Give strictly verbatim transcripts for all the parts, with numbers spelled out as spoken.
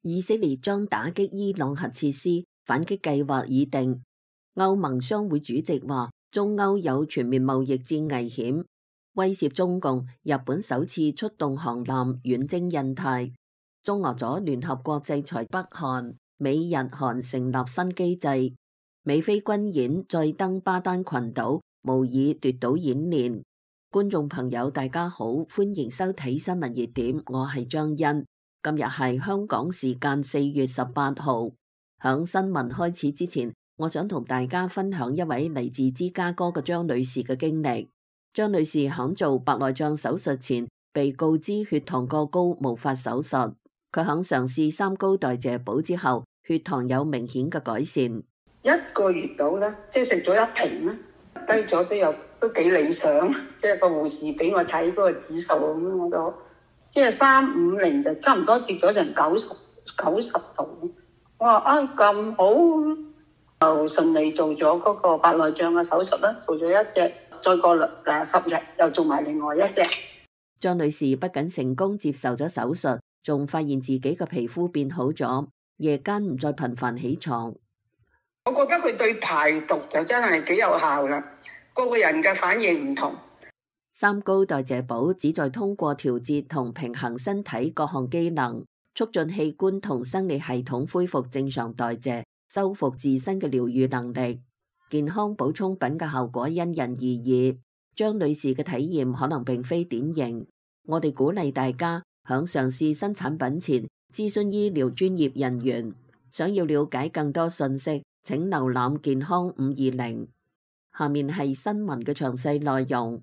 以色列將打擊伊朗核設施，反擊計劃已定。歐盟商會主席話，中歐有全面貿易戰危險，威脅中共。日本首次出動航艦遠征印太。中俄阻聯合國制裁北韓，美日韓成立新機制。美菲軍演再登巴丹群島，模擬奪島演練。觀眾朋友大家好，歡迎收睇新聞熱點，我係張欣。今日係香港時間四月十八號。響新聞開始之前，我想同大家分享一位嚟自芝加哥嘅張女士嘅經歷。張女士響做白內障手術前，被告知血糖過高，無法手術。佢響嘗試三高代謝寶之後，血糖有明顯嘅改善。一個月到啦，即係食咗一瓶啦，低咗都有都幾理想。即係個護士俾我睇嗰個指數咁，我都即係三五零就差唔多跌咗成九十九十度。我話啊咁好，就順利做咗嗰個白內障嘅手術啦，做咗一隻，再過誒十日又做埋另外一隻。張女士不僅成功接受咗手術，仲發現自己嘅皮膚變好咗，夜間唔再頻繁起床。我覺得佢對排毒就真係幾有效啦，個個人嘅反應唔同。三高代謝寶旨在通過調節同平衡身體各項機能，促進器官同生理系統恢復正常代謝，修復自身嘅療愈能力。健康補充品嘅效果因人而異，張女士嘅體驗可能並非典型。我哋鼓勵大家響嘗試新產品前諮詢醫療專業人員。想要了解更多信息，請瀏覽健康五二零。下面係新聞嘅詳細內容。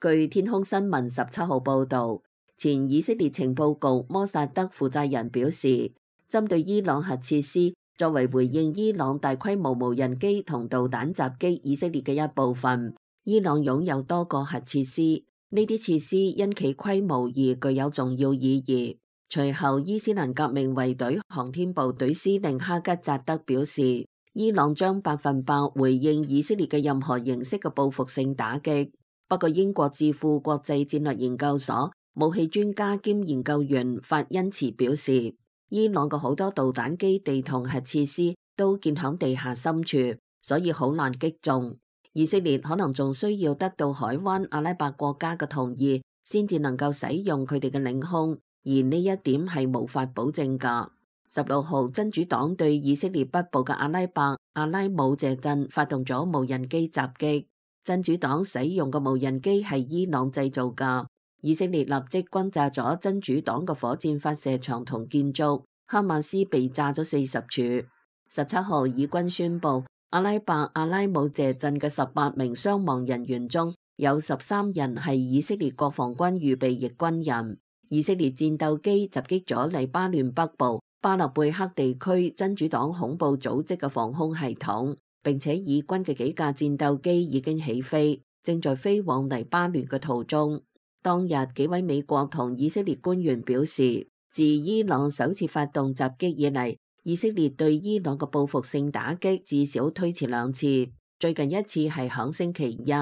據天空新聞十七號報道，前以色列情報局摩薩德負責人表示，針對伊朗核設施，作為回應伊朗大規模無人機同導彈襲擊以色列嘅一部分，伊朗擁有多個核設施，呢啲設施因其規模而具有重要意義。隨後，伊斯蘭革命衛隊航天部隊司令哈吉扎德表示，伊朗將百分百回應以色列嘅任何形式嘅報復性打擊。不過，英國智庫國際戰略研究所武器專家兼研究員法恩茨表示，伊朗嘅好多導彈基地同核設施都建響地下深處，所以好難擊中。以色列可能仲需要得到海灣阿拉伯國家嘅同意，先至能夠使用佢哋嘅領空。而呢一點係無法保證㗎。十六號，真主黨對以色列北部嘅阿拉伯阿拉姆謝鎮發動咗無人機襲擊。真主黨使用嘅無人機係伊朗製造㗎。以色列立即轟炸咗真主黨嘅火箭發射場同建築，哈馬斯被炸咗四十處。十七號，以軍宣布阿拉伯阿拉姆謝鎮嘅十八名傷亡人員中有十三人係以色列國防軍預備役軍人。以色列戰鬥機襲擊咗黎巴嫩北部巴勒貝克地區真主黨恐怖組織嘅防空系統，並且以軍嘅幾架戰鬥機已經起飛，正在飛往黎巴嫩嘅途中。當日幾位美國同以色列官員表示，自伊朗首次發動襲擊以嚟，以色列對伊朗嘅報復性打擊至少推遲兩次，最近一次係響星期一。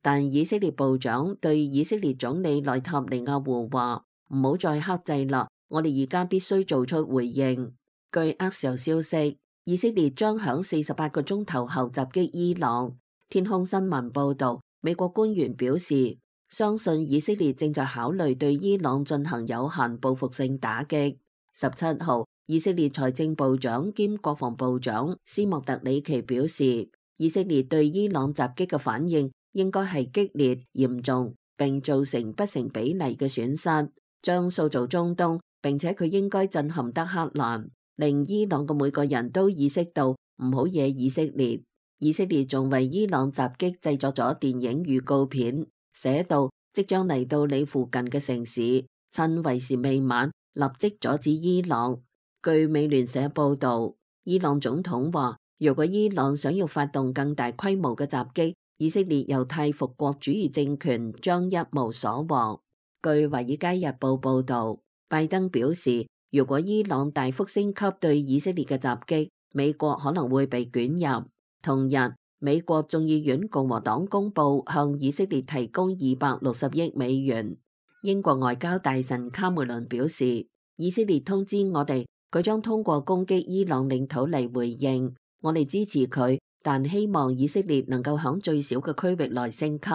但以色列部長對以色列總理內塔尼亞胡話，唔好再克制啦，我哋而家必須做出回應。據厄時消息，以色列將響四十八個鐘頭後襲擊伊朗。天空新聞報道，美國官員表示，相信以色列正在考慮對伊朗進行有限報復性打擊。十七號，以色列財政部長兼國防部長斯莫特里奇表示，以色列對伊朗襲擊嘅反應應該係激烈、嚴重，並造成不成比例嘅損失，將塑造中東，並且佢應該震撼德黑蘭，令伊朗嘅每個人都意識到唔好惹以色列。以色列仲為伊朗襲擊製作咗電影預告片，寫到即將嚟到你附近嘅城市，趁為時未晚，立即阻止伊朗。據美聯社報道，伊朗總統話，如果伊朗想要發動更大規模嘅襲擊，以色列猶太復國主義政權將一無所獲。據華爾街日報報道，拜登表示，如果伊朗大幅升級對以色列嘅襲擊，美國可能會被捲入。同日，美國眾議院共和黨公布向以色列提供二百六十億美元。英國外交大臣卡梅倫表示，以色列通知我哋，佢將通過攻擊伊朗領土嚟回應，我哋支持佢，但希望以色列能夠響最小嘅區域內升級。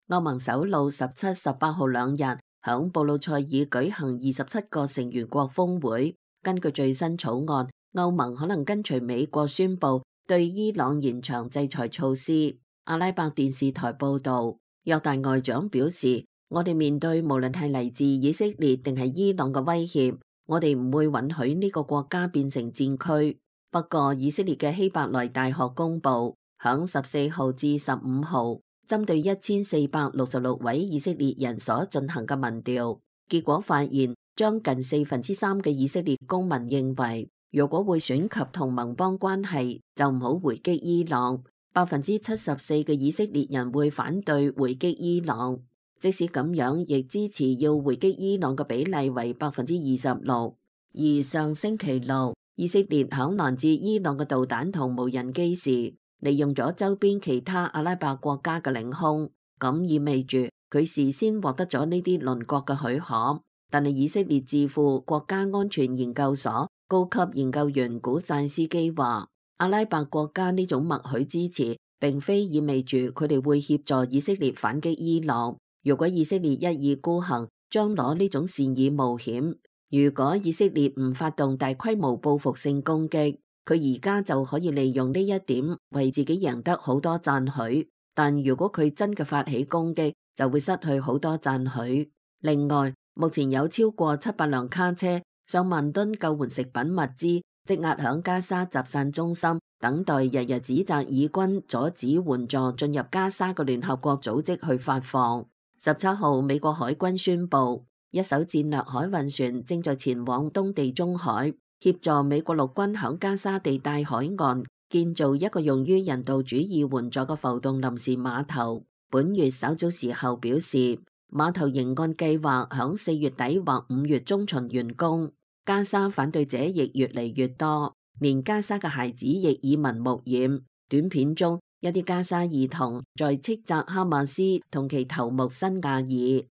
歐盟首腦十七、十八號兩日響布魯塞爾舉行二十七個成員國峰會，根據最新草案，歐盟可能跟隨美國宣布對伊朗延長制裁措施。阿拉伯電視台報道，約旦外長表示，我哋面對無論係嚟自以色列定係伊朗嘅威脅，我哋唔會允許呢個國家變成戰區。不過，以色列嘅希伯來大學公布，響十四號至十五號，針對一千四百六十六位以色列人所進行嘅民調，結果發現，將近四分之三嘅以色列公民認為，如果會選及同盟邦關係，就唔好回擊伊朗。百分之七十四嘅以色列人會反對回擊伊朗，即使咁樣，亦支持要回擊伊朗嘅比例為百分之二十六。而上星期六，以色列響攔截伊朗嘅導彈同無人機時，利用咗周邊其他阿拉伯國家嘅領空，咁意味住佢事先獲得咗呢啲鄰國嘅許可。但係以色列智庫國家安全研究所高級研究員古贊斯基話，阿拉伯國家呢種默許支持，並非意味住佢哋會協助以色列反擊伊朗。如果以色列一意孤行，將攞呢種善意冒險。如果以色列唔發動大規模報復性攻擊，佢而家就可以利用呢一點為自己贏得好多讚許。但如果佢真嘅發起攻擊，就會失去好多讚許。另外，目前有超過七百輛卡車、上萬噸救援食品物資積壓響加沙集散中心，等待日日指責以軍阻止援助進入加沙嘅聯合國組織去發放。十七號，美國海軍宣布，一艘戰略海運船正在前往東地中海，協助美國陸軍響加沙地帶海岸建造一個用於人道主義援助嘅浮動臨時碼頭。本月稍早時候表示，碼頭仍按計劃響四月底或五月中旬完工。加沙反對者亦越嚟越多，連加沙嘅孩子亦耳聞目染。短片中，一啲加沙兒童在斥責哈馬斯同其頭目辛亞爾。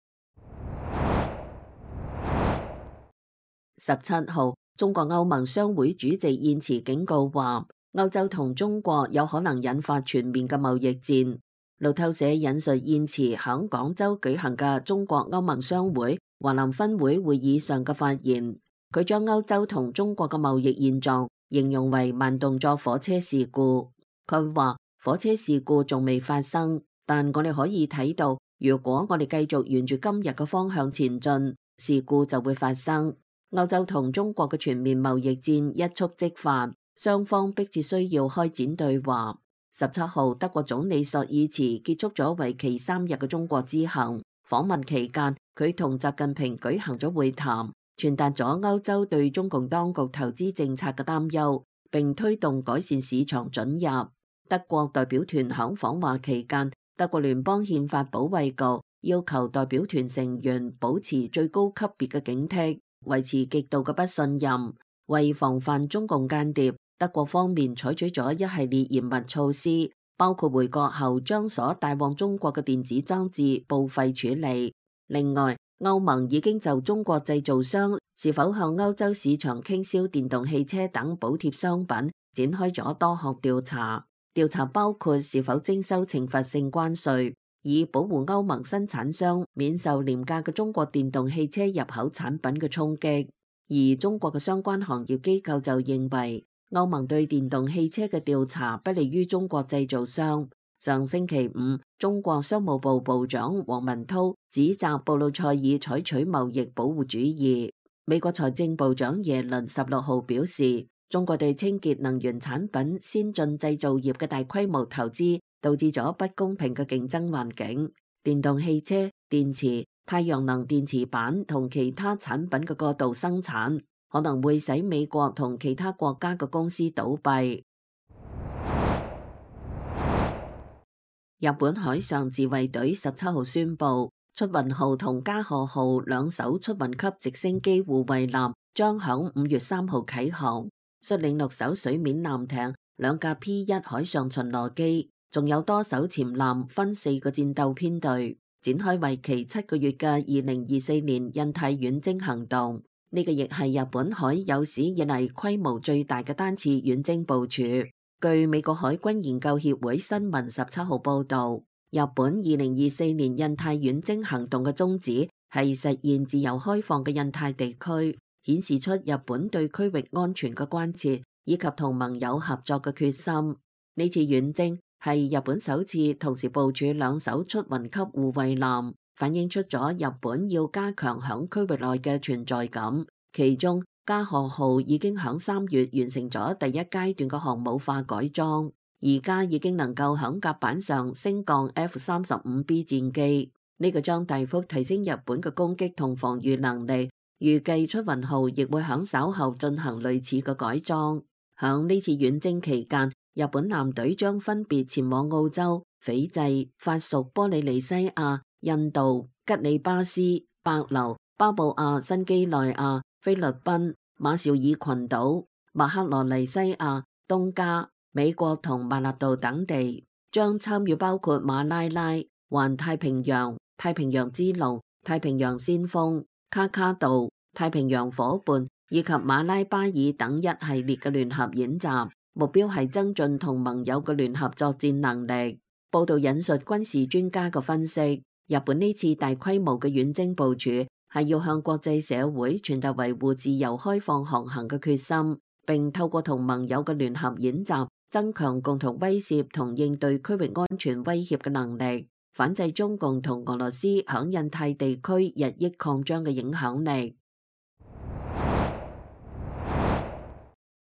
十七號，中國歐盟商會主席燕池警告話，歐洲同中國有可能引發全面嘅貿易戰。路透社引述燕池響廣州舉行嘅中國歐盟商會華南分會會議上嘅發言。佢將歐洲同中國嘅貿易現狀形容為慢動作火車事故。佢話火車事故仲未發生，但我哋可以睇到，如果我哋繼續沿住今日嘅方向前進，事故就會發生。歐洲同中國嘅全面貿易戰一觸即發，雙方迫切需要開展對話。十七號，德國總理朔爾茨結束咗為期三日嘅中國之行。訪問期間，佢同習近平舉行咗會談，傳達咗歐洲對中共當局投資政策嘅擔憂，並推動改善市場准入。德國代表團響訪華期間，德國聯邦憲法保衛局要求代表團成員保持最高級別嘅警惕，維持極度嘅不信任。為防範中共間諜，德國方面採取咗一系列嚴密措施，包括回國後將所帶往中國嘅電子裝置報廢處理。另外，歐盟已經就中國製造商是否向歐洲市場傾銷電動汽車等補貼商品展開咗多項調查，調查包括是否徵收懲罰性關稅，以保護歐盟生產商免受廉價嘅中國電動汽車入口產品嘅衝擊。而中國嘅相關行業機構就認為，歐盟對電動汽車嘅調查不利於中國製造商。上星期五，中國商務部部長王文濤指責布魯塞爾採取貿易保護主義。美國財政部長耶倫十六號表示，中國對清潔能源產品先進製造業嘅大規模投資，導致咗不公平嘅競爭環境。電動汽車、電池、太陽能電池板同其他產品嘅過度生產，可能會使美國同其他國家嘅公司倒閉。日本海上自衛隊十七號宣布，出雲號同加賀號兩艘出雲級直升機護衛艦將響五月三號啟航，率領六艘水面艦艇、兩架 P 一海上巡邏機，仲有多艘潛艦，分四個戰鬥編隊，展開為期七個月嘅二零二四年印太遠征行動。呢個亦係日本海有史以嚟規模最大嘅單次遠征部署。據美國海軍研究協會新聞十七號報導，日本二零二四年印太遠征行動嘅宗旨係實現自由開放嘅印太地區，顯示出日本對區域安全嘅關切以及同盟友合作嘅決心。呢次遠征係日本首次同時部署兩艘出雲級護衛艦，反映出咗日本要加強響區域內嘅存在感。其中加賀號已經響三月完成咗第一階段嘅航母化改裝，而家已經能夠響甲板上升降 F 三十五 B 戰機，呢、這個將大幅提升日本嘅攻擊同防禦能力。預計出雲號亦會響稍後進行類似嘅改裝。響呢次遠征期間，日本艦隊將分別前往澳洲、斐濟、法屬波利尼西亞、印度、吉里巴斯、帛琉、巴布亞新幾內亞、菲律賓、馬紹爾群島、馬克羅尼西亞、東加、美國同馬納道等地，將參與包括馬拉拉、環太平洋、太平洋之龍、太平洋先鋒、卡卡杜、太平洋夥伴以及馬拉巴爾等一系列嘅聯合演習，目標係增進同盟友嘅聯合作戰能力。報道引述軍事專家嘅分析，日本呢次大規模嘅遠征部署係要向國際社會傳達維護自由開放航行嘅決心，並透過同盟友嘅聯合演習，增強共同威懾同應對區域安全威脅嘅能力，反制中共同俄羅斯響印太地區日益擴張嘅影響力。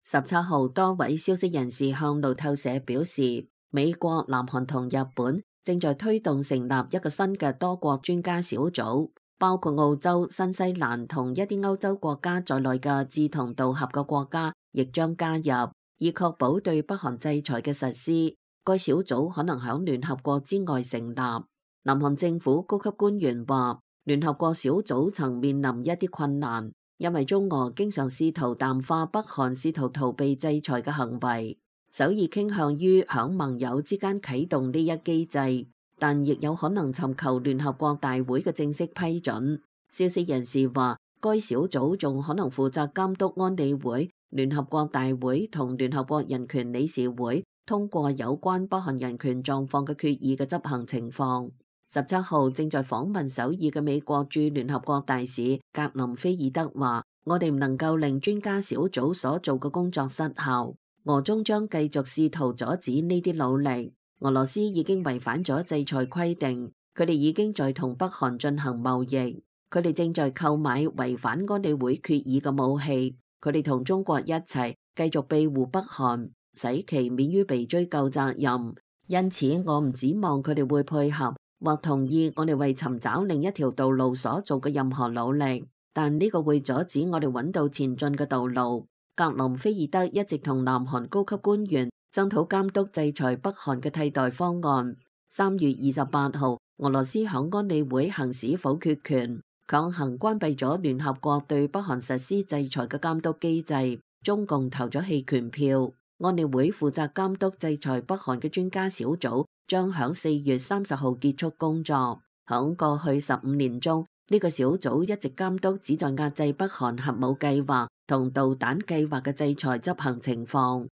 十七號，多位消息人士向路透社表示，美國、南韓同日本正在推動成立一個新嘅多國專家小組，包括澳洲、新西蘭同一啲歐洲國家在內嘅志同道合嘅國家亦將加入，以確保對北韓制裁嘅實施。該小組可能響聯合國之外成立。南韓政府高級官員話，聯合國小組曾面臨一啲困難，因為中俄經常試圖淡化北韓試圖逃避制裁嘅行為。首爾傾向於響盟友之間啟動呢一機制，但亦有可能尋求聯合國大會嘅正式批准。消息人士話，該小組仲可能負責監督安理會、聯合國大會同聯合國人權理事會通過有關北韓人權狀況嘅決議嘅執行情況。十七號正在訪問首爾嘅美國駐聯合國大使格林菲爾德話，我哋唔能夠令專家小組所做嘅工作失效。俄中將繼續試圖阻止呢啲努力。俄羅斯已經違反咗制裁規定，佢哋已經在同北韓進行貿易，佢哋正在購買違反安理會決議嘅武器，佢哋同中國一齊繼續庇護北韓，使其免於被追究責任。因此，我唔指望佢哋會配合或同意我哋為尋找另一條道路所做嘅任何努力，但呢個會阻止我哋揾到前進嘅道路。格林菲爾德一直同南韓高級官員商討監督制裁北韓嘅替代方案。三月二十八號，俄羅斯響安理會行使否決權，強行關閉咗聯合國對北韓實施制裁嘅監督機制。中共投咗棄權票。安理會負責監督制裁北韓嘅專家小組將響四月三十號結束工作。響過去十五年中，呢個小組一直監督旨在壓制北韓核武計劃同導彈計劃嘅制裁執行情況。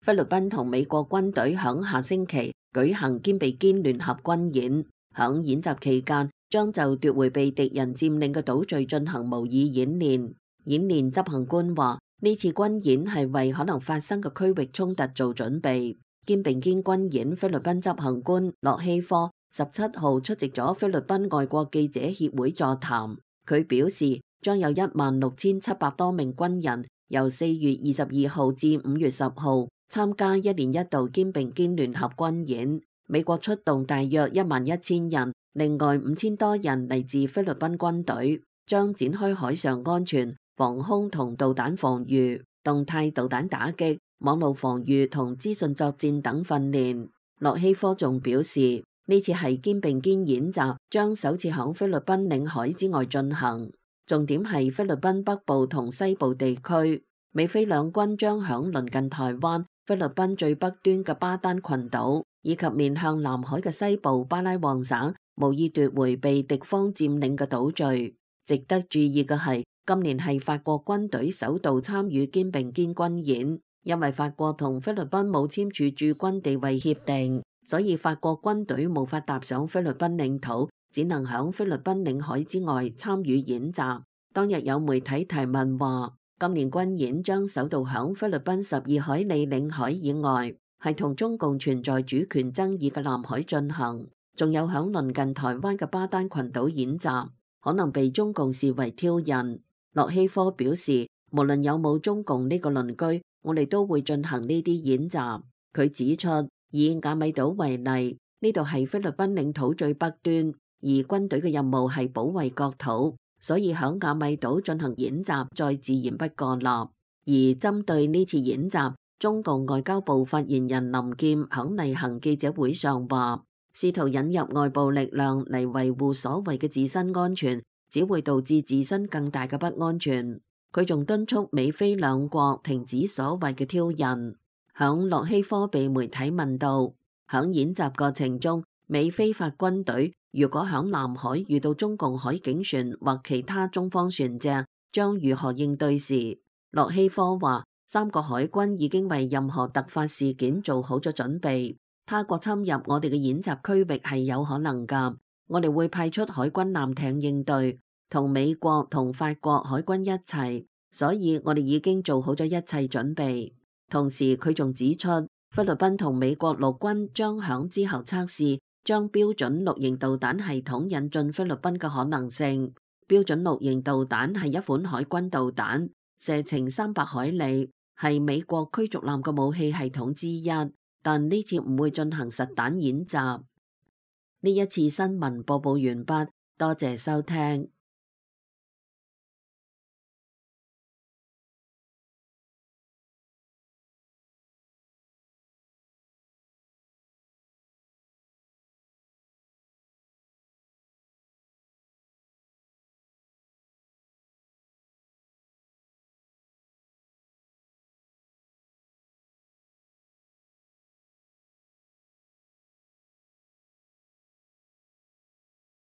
菲律賓同美國軍隊響下星期舉行肩並肩聯合軍演，響演習期間將就奪回被敵人佔領嘅島嶼進行模擬演練。演練執行官話，呢次軍演係為可能發生嘅區域衝突做準備。肩並肩軍演菲律賓執行官洛希科十七號出席咗菲律賓外國記者協會座談，佢表示將有一萬六千七百多名軍人由四月二十二號至五月十號參加一年一度肩並肩聯合軍演。美國出動大約一萬一千人，另外五千多人嚟自菲律賓軍隊，將展開海上安全、防空同導彈防禦、動態導彈打擊、網絡防禦同資訊作戰等訓練。洛希科仲表示，呢次係肩並肩演習，將首次響菲律賓領海之外進行，重點係菲律賓北部同西部地區。美菲兩軍將響鄰近台灣、菲律賓最北端嘅巴丹群島，以及面向南海嘅西部巴拉望省無意奪回被敵方佔領嘅島嶼。值得注意嘅係，今年係法國軍隊首度參與肩並肩軍演，因為法國同菲律賓冇簽署駐軍地位協定，所以法國軍隊無法踏上菲律賓領土，只能響菲律賓領海之外參與演習。當日有媒體提問話，今年軍演將首度響菲律賓十二海里領海以外，係同中共存在主權爭議嘅南海進行，仲有響鄰近台灣嘅巴丹群島演習，可能被中共視為挑釁。洛希科表示，無論有冇中共呢個鄰居，我哋都會進行呢啲演習。佢指出，以亞米島為例，呢度係菲律賓領土最北端，而軍隊嘅任務係保衛國土，所以響亞米島進行演習再自然不過啦。而針對呢次演習，中共外交部發言人林劍響例行記者會上話，試圖引入外部力量嚟維護所謂嘅自身安全，只會導致自身更大嘅不安全。佢仲敦促美菲兩國停止所謂嘅挑釁。響洛希科被媒體問到，響演習過程中，美菲法軍隊如果響南海遇到中共海警船或其他中方船隻，將如何應對時，洛希科話，三個海軍已經為任何突發事件做好咗準備。他國侵入我哋嘅演習區域係有可能㗎，我哋會派出海軍艦艇應對，同美國同法國海軍一齊，所以我哋已經做好咗一切準備。同時佢仲指出，菲律賓同美國陸軍將響之後測試將標準綠型導彈系統引進菲律賓嘅可能性。標準綠型導彈係一款海軍導彈，射程三百海里，係美國驅逐艦嘅武器系統之一，但呢次唔會進行實彈演習。呢一次新聞播報完畢，多謝收聽。